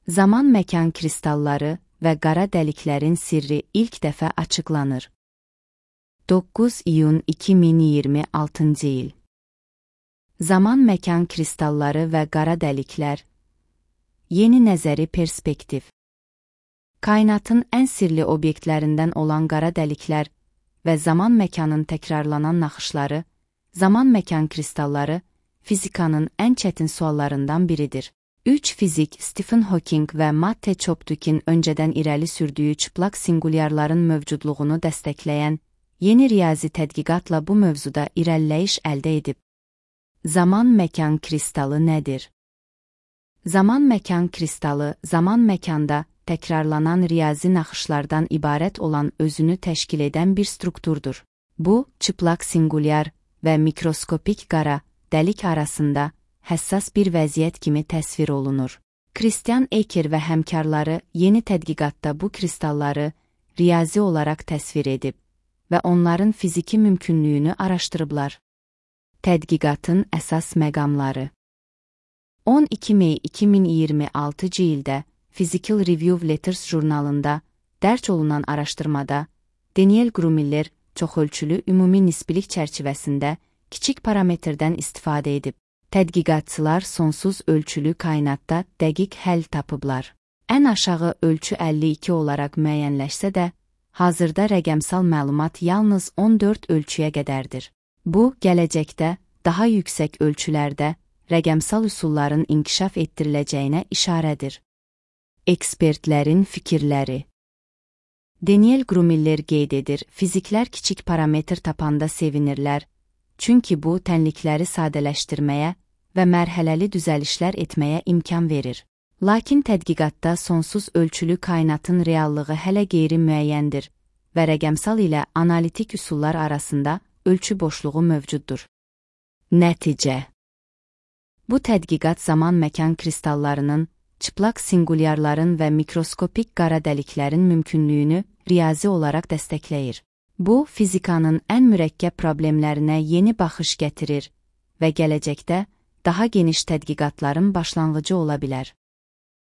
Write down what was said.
Zaman-məkan kristalları və qara dəliklərin sirri ilk dəfə açıqlanır. 9 iyun 2026 il. Zaman-məkan kristalları və qara dəliklər. Yeni nəzəri perspektiv. Kainatın ən sirli obyektlərindən olan qara dəliklər və zaman-məkanın təkrarlanan naxışları, zaman-məkan kristalları fizikanın ən çətin suallarından biridir. 3 fizik Stephen Hawking və Matte Choptuk'in öncədən irəli sürdüyü çıplaq singulyarların mövcudluğunu dəstəkləyən yeni riyazi tədqiqatla bu mövzuda irəliləyiş əldə edib. Zaman-məkan kristalı nədir? Zaman-məkan kristalı, zaman-məkanda təkrarlanan riyazi naxışlardan ibarət olan özünü təşkil edən bir strukturdur. Bu, çıplaq singulyar və mikroskopik qara dəlik arasında həssas bir vəziyyət kimi təsvir olunur. Christian Eker və həmkarları yeni tədqiqatda bu kristalları riyazi olaraq təsvir edib və onların fiziki mümkünlüyünü araşdırıblar. Tədqiqatın əsas məqamları. 12 May 2026 ildə Physical Review Letters jurnalında dərc olunan araşdırmada Daniel Grumiller çoxölçülü ümumi nisbilik çərçivəsində kiçik parametrdən istifadə edib. Tədqiqatçılar sonsuz ölçülü kainatda dəqiq həll tapıblar. Ən aşağı ölçü 52 olaraq müəyyənləşsə də, hazırda rəqəmsal məlumat yalnız 14 ölçüyə qədərdir. Bu, gələcəkdə daha yüksək ölçülərdə rəqəmsal üsulların inkişaf etdiriləcəyinə işarədir. Ekspertlərin fikirləri. Daniel Grumiller qeyd edir, fiziklər kiçik parametr tapanda sevinirlər, çünki bu, tənlikləri sadələşdirməyə və mərhələli düzəlişlər etməyə imkan verir. Lakin tədqiqatda sonsuz ölçülü kainatın reallığı hələ qeyri-müəyyəndir və rəqəmsal ilə analitik üsullar arasında ölçü boşluğu mövcuddur. Nəticə. Bu tədqiqat zaman-məkan kristallarının, çıplaq singulyarların və mikroskopik qara dəliklərin mümkünlüyünü riyazi olaraq dəstəkləyir. Bu, fizikanın ən mürəkkəb problemlərinə yeni baxış gətirir və gələcəkdə daha geniş tədqiqatların başlanğıcı ola bilər.